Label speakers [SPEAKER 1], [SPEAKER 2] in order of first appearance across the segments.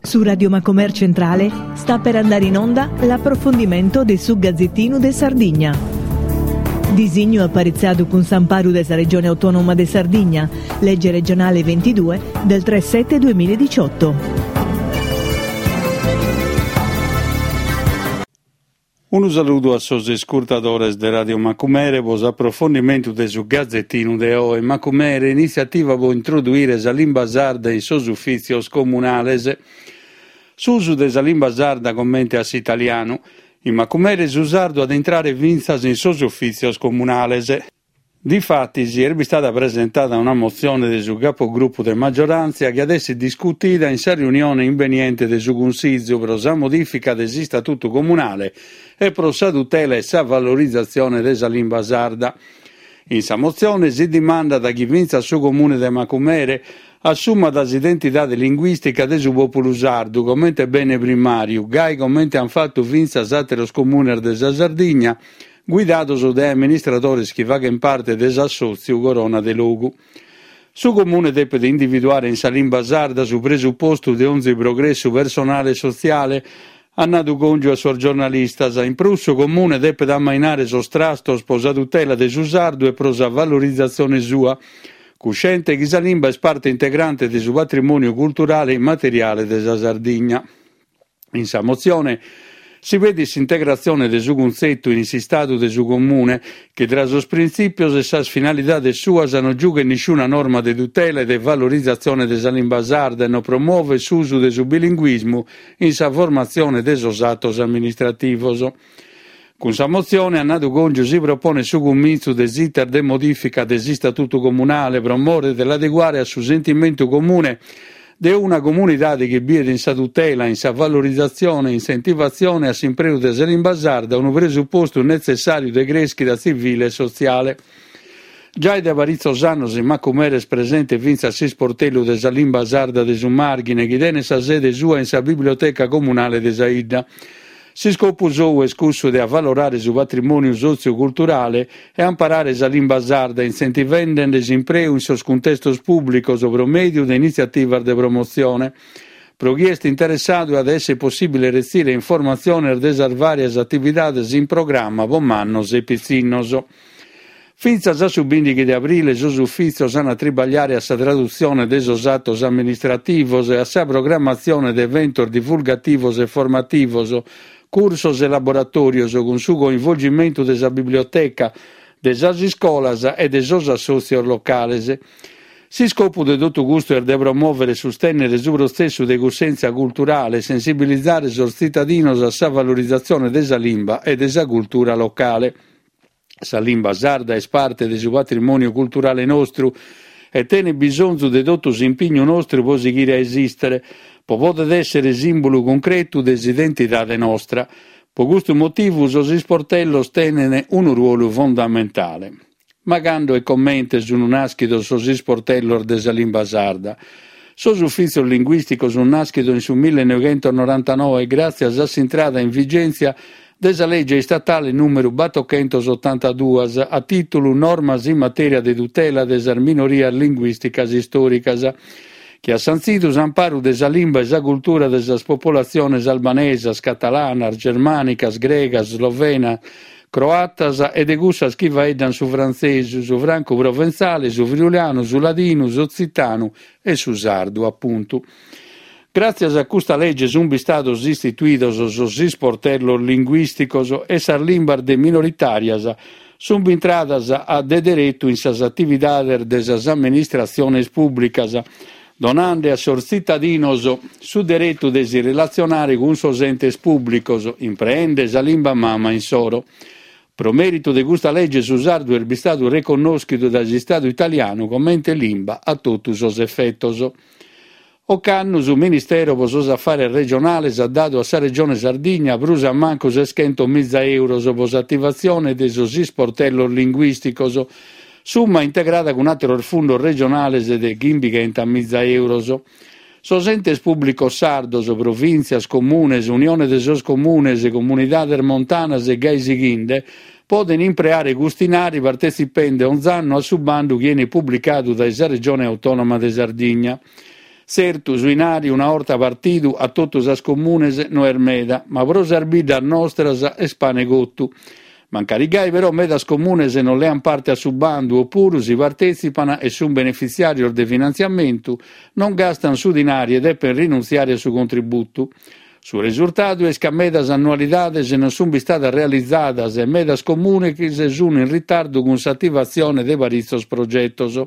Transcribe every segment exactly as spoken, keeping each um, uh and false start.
[SPEAKER 1] Su Radio Macomer Centrale sta per andare in onda l'approfondimento de su Gazzettinu de Sardigna. Disignu aparitzadu cun s'amparu de sa Regione Autonoma de Sardigna, legge regionale ventidue del tre sette duemiladiciotto.
[SPEAKER 2] Unu saludu a sos iscurtadores de Radio Macumere pro s'aprofondimentu de su Gazzettinu de oe. Macumere, initziativa pro introduire sa limba sarda in sos ufìtzios comunales. S'usu de sa limba sarda comente a s'italianu. In Macumere su sardu at a intrare fintzas in sos ufìtzios comunales. Difatis est bistada presentada una motzione de su capogruppu de maggioranza chi at esser discutida in sa riunione imbeniente de su Cunsìgiu pro sa modifica de s'Istatutu Comunale e pro sa tutela e sa valorizatzione de sa limba sarda. In sa motzione si dimandat chi fintzas su Comune de Macumere assumat s'identidade linguìstica de su pòpulu sardu comente bene primàriu, gai comente ant fatu fintzas àteros comunes de sa Sardigna, guidados dae amministradores chi faghent parte de s'assòtziu Corona de Logu. Su Comune depet individuare in sa limba sarda su presupostu de onzi progressu personale e sotziale, at nadu Congiu a sos giornalistas. In prus su Comune depet ammainare sos trastos pro sa tutela de su sardu e pro sa valorizatzione sua, cusciente chi sa limba est parte integrante de su patrimòniu culturale e immateriale de sa Sardigna. In sa motzione si pedit s'integratzione de su cuntzetu in s'Istadu de su Comune, chi tra sos printzìpios e sas finalidades suas non giughet nisciuna norma de tutela e de valorizatzione de sa limba sarda e non promovet s'usu de su bilinguismu in sa formatzione de sos atos amministrativos. Cun sa motzione, at nadu Congiu, si proponet su cumintzu de s'iter de modifica de s'Istatutu Comunale pro more de l'adeguare a su sentimentu comune de una comunidade chi biet in sa tutela, in sa valorizatzione, insentivatzione a s'impreu de sa limba sarda unu presupostu netzessàriu de crèschida tzivile e sotziale. Giai dae paritzos annos in Macumere est presente fintzas s'isportellu de sa limba sarda de su Màrghine, chi tenet sa sede sua in sa Biblioteca Comunale de sa 'Idda. S'iscopu sou est cussu de avalorare su patrimòniu sotziu-culturale e amparare sa limba sarda, intzentivendi-nde s'impreu in sos cuntestos pùblicos pro mèdiu de initziativas de promotzione. Pro chie est interessadu at a èssere possìbile retzire informatziones de sas vàrias atividades in programma pro mannos e pitzinnos. Fintzas a su bìndighi de abrile sos ufìtzios ant a tribagliare a sa tradutzione de sos atos amministrativos e a sa programmatzione de eventos divulgativos e formativos, cursos e laboratòrios cun su coinvolgimentu de sa biblioteca, de sas iscolas e de sos assòtzios locales. S'iscopu de totu custu est de promòvere e sustènnere su protzessu de cussèntzia culturale e sensibilizare sos tzitadinos a sa valorizatzione de sa limba e de sa cultura locale. Sa limba sarda est parte de su patrimòniu culturale nostru e tenet bisonzu de totu s'impignu nostru pro sighire a esìstere, pro poder èssere sìmbulu cuncretu de s'identidade nostra. Pro custu motivu sos isportellos tenent unu ruolu fondamentale. Ma cando e comente sunt nàschidos sos isportellos de sa limba sarda? Sos ufìtzios linguìsticos sunt nàschidos in su millenoighentos norantanoe gràtzias a s'intrada in vigèntzia de sa lege istatale nùmeru batochentos otantaduas a tìtulu Normas in matèria de tutela de sas minorias linguìsticas istòricas, chi at santzidu s'amparu de sa limba e sa cultura de sas populatziones albanesas, catalanas, germànicas, gregas, slovenas, croatas e de cussas chi faeddant su frantzesu, su francu-proventzale, su friulanu, su ladinu, s'otzitanu e su sardu, apuntu. Gràtzias a custa lege sunt bistados istituidos sos isportellos linguìsticos e sas limbas de minoritàrias sunt bintradas a de deretu in sas atividades de sas amministratziones pùblicas, donande a sos tzitadinos su deretu de si relatzionare cun sos entes pùblicos, impreende sa limba mama insoro. Pro mèritu de custa lege su sardu est bistadu reconnòschidu dae s'Istadu italianu comente limba a totu sos efetos. Ocannu su Ministero pro sos Afares Regionales at dadu a sa Regione Sardigna prus a mancu seschentos miza euros pro s'ativatzione de sos isportellos linguìsticos, summa integrada cun àteros fundos regionales de chimbighenta miza euros. Sos entes pùblicos sardos, provìntzias, comunes, Unione de sos Comunes, comunidades montanas e gai sighinde, podent impreare custu 'inari partetzipende onz'annu a su bandu chi 'enit publicadu dae sa Regione Autònoma de Sardigna. Tzertu, su 'inari, una 'orta partidu a totu sas comunes, no est meda, ma pro sas biddas nostras est pane cotu. Mancari gai però medas comunes non lean parte a su bandu opuru si partetzipan e sun benefitziàrios de finantziamentu, non gastan su dinari e depen rinuntziare a su contributu. Su resurtadu est ca medas annualidades non sun bistadas realizadas e medas comunes sun in ritardu cun s'ativatzione de paritzos progetos.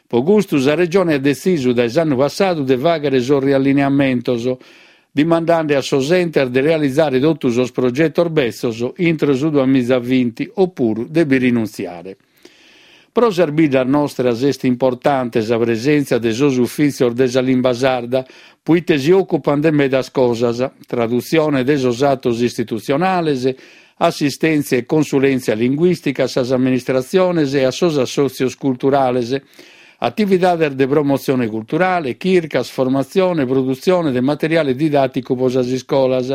[SPEAKER 2] Pro custu sa Regione at detzisu dae s'annu passadu de fàghere sos riallineamentos, dimandende a sos entes de realizare totu sos progetos betzos intro su duamiza vinti opuru de bi rinuntziare. Pro sas biddas nostras est importante sa presèntzia de sos ufìtzios de sa limba sarda, poite si òcupan de medas cosas, tradutzione de sos atos istitutzionales, assistèntzia e consulèntzia linguìstica a sas amministratziones e a sos assòtzios culturales, atividades de promotzione culturale, chircas, formatzione, produtzione de materiale didàticu pro sas iscolas,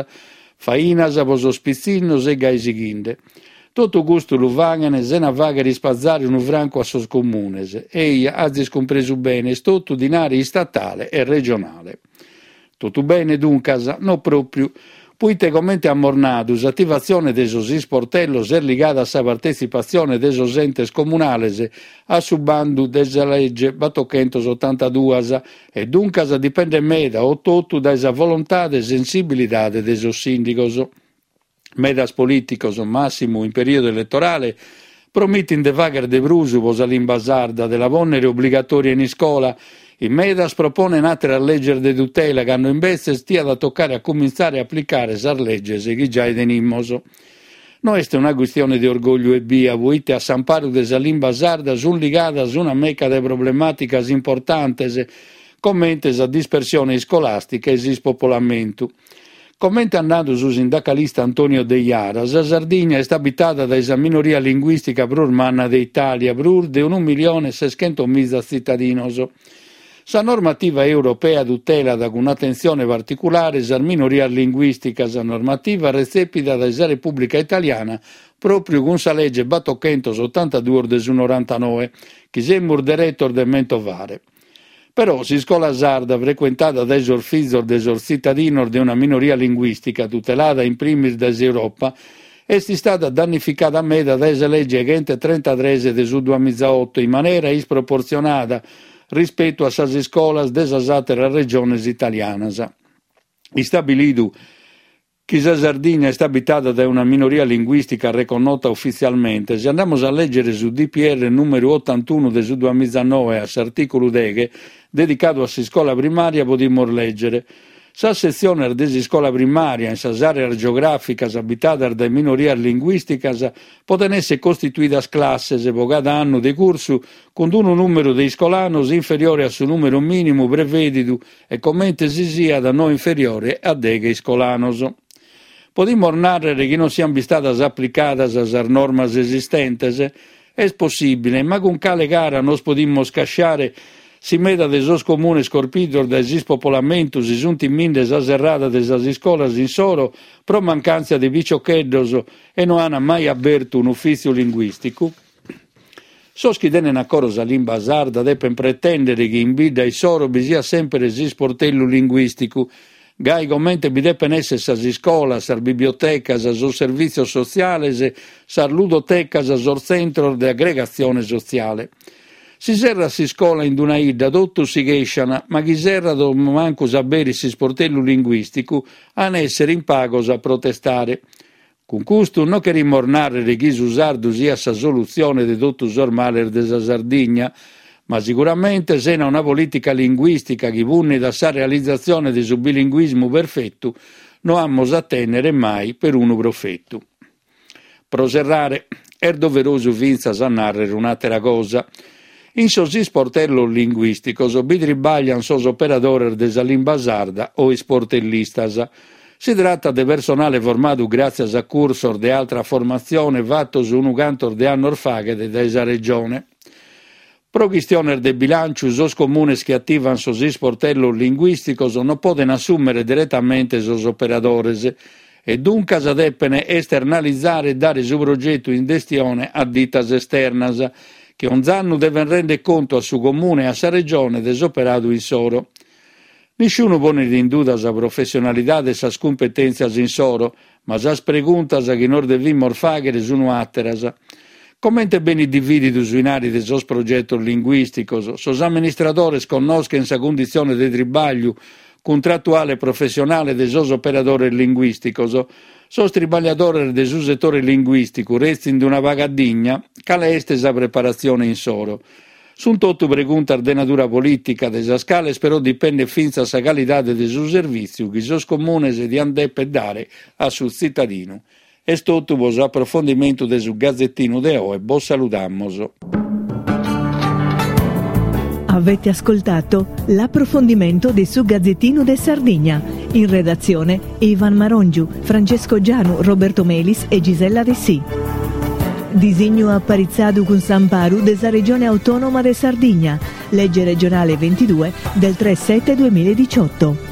[SPEAKER 2] fainas pro sos pitzinnos e gai sighende. Totu custu lu faghen sena fàghere ispatzare unu francu a sos comunes. Eja, azis cumpresu bene, est totu dinari istatale e regionale. Totu bene, duncas? No pròpiu. Poite comente amus nadu, s'ativatzione de sos isportellos est ligada a sa partetzipatzione de sos entes comunales a su bandu de sa lege batochentos otantaduas e duncas dipendet meda o totu dae sa volontade e sensibilidade de sos sìndigos. Medas polìticos, màssimu in perìodu eletorale, promitin de fàghere de prus pro sa limba sarda, de la pònnere obligatòria in iscola. In medas proponen àteras leges de tutela, cando imbetzes tiat a tocare a cumintzare a aplicare sas leges chi giai tenimus. No est una chistione de orgògliu ebbia, poite a s'amparu de sa limba sarda sunt ligadas una meca de problemàticas importantes, comente sa dispersione iscolàstica e s'ispopolamentu. Comente at nadu su sindacalista Antonio Deiara, sa Sardigna est abitada dae sa minoria linguìstica prus manna de Itàlia, prus de unu milione e seschentos miza tzitadinos. Sa normativa europea tutelat cun atentzione particulare sas minorias linguìsticas, normativa retzepida dae sa Repùblica Italiana pròpiu cun sa lege batochentos otantaduos de su norantanoe, chi semus deretos de mentovare. Però s'iscola sarda, frecuentada dae sos fizos de sos tzitadinos de una minoria linguìstica tutelada in primis dae s'Europa, est istada dannificada meda dae sa lege chentotrentatrès de su duamizaoto in manera isproportzionada rispetu a sas iscolas de sas àteras regiones italianas. Istabilidu chi sa Sardigna est abitada dae una minoria linguìstica reconnota ufitzialmente, si andamus a lègere su D P R nùmeru otantunu de su duamizanoe a s'artìculu deghe, dedicadu a s'iscola primària, podimus lègere: sas setziones de s'iscola primària in sas àreas geogràficas abitadas dae minorias linguìsticas poden èssere costituidas classes pro cada annu de cursu cun unu nùmeru de iscolanos inferiore a su nùmeru mìnimu prevèdidu e comente si siat no inferiore a deghe iscolanos. Podimus nàrrere chi non siant bistadas aplicadas sas normas esistentes? Est possìbile, ma cun cale cara nos podimus casciare si meda de sos comunes corpidos dae s'ispopolamentu si sunt timinde sa serrada de sas iscolas insoro pro mancàntzia de piciocheddos e no an mai abertu un'ufìtziu linguìsticu? Sos chi tenen a coro sa limba sarda depen pretèndere chi in bidda issoro bi siat semper s'isportellu linguìsticu, gai comente bi depen èssere sas iscolas, sas bibliotecas, sos servìtzios sotziales, sas ludotecas, sos tzentros de aggregatzione sotziale. Si serrat s'iscola in una 'idda, totus si chescian, ma chi serrat o mancu s'aberit s'isportellu linguìsticu, an èssere in pagos a protestare. Cun custu non cherimus nàrrere chi su sardu siat sa solutzione de totu sos males de sa Sardigna, ma sicuramente sena una polìtica linguìstica chi punnit a sa realizatzione de su bilinguismu perfetu, no amus a tènnere mai perunu profetu. Pro serrare, est doverosu fintzas a nàrrere un'àtera cosa. In sos isportellos linguìsticos bi tribaglian sos operadores de sa limba sarda o isportellistas. Si tratat de personale formadu gràtzias a cursos de altra formatzione fatos unu cantos de annos faghet dae sa Regione. Pro chistiones de bilànciu, sos comunes chi ativan sos isportellos linguìsticos non poden assùmere diretamente sos operadores e duncas depen esternalizare e dare su progetu in gestione a ditas esternas, chi onz'annu deven render contu a su Comune e a sa Regione de s'operadu insoro. Nisciunu ponet in duda sa professionalidade e sas cumpetèntzias insoro, ma sas preguntas chi nos devimus fàghere sunt àteras. Comente benit divididu su 'inari de sos progetos linguìsticos, sos amministradores connoschent sa cunditzione de tribagliu cuntratuale e professionale de sos operadores linguìsticos. Sos tribagliadores de su setore linguìsticu retzint una paga digna, cale est sa preparatzione insoro? Sunt totu preguntas de natura polìtica, de sas cales però dipendet fintzas sa calidade de su servìtziu chi sos comunes diant dèpere dare a su tzitadinu. Est totu pro s'aprofondimentu de su Gazetinu de oe. Bos saludamus.
[SPEAKER 1] Avete ascoltato l'approfondimento de su Gazzettino de Sardigna. In redazione Ivan Marongiu, Francesco Gianu, Roberto Melis e Gisella Dessì. Disignu aparitzadu cun s'amparu de sa Regione Autonoma de Sardigna, legge regionale ventidue del tre sette duemiladiciotto.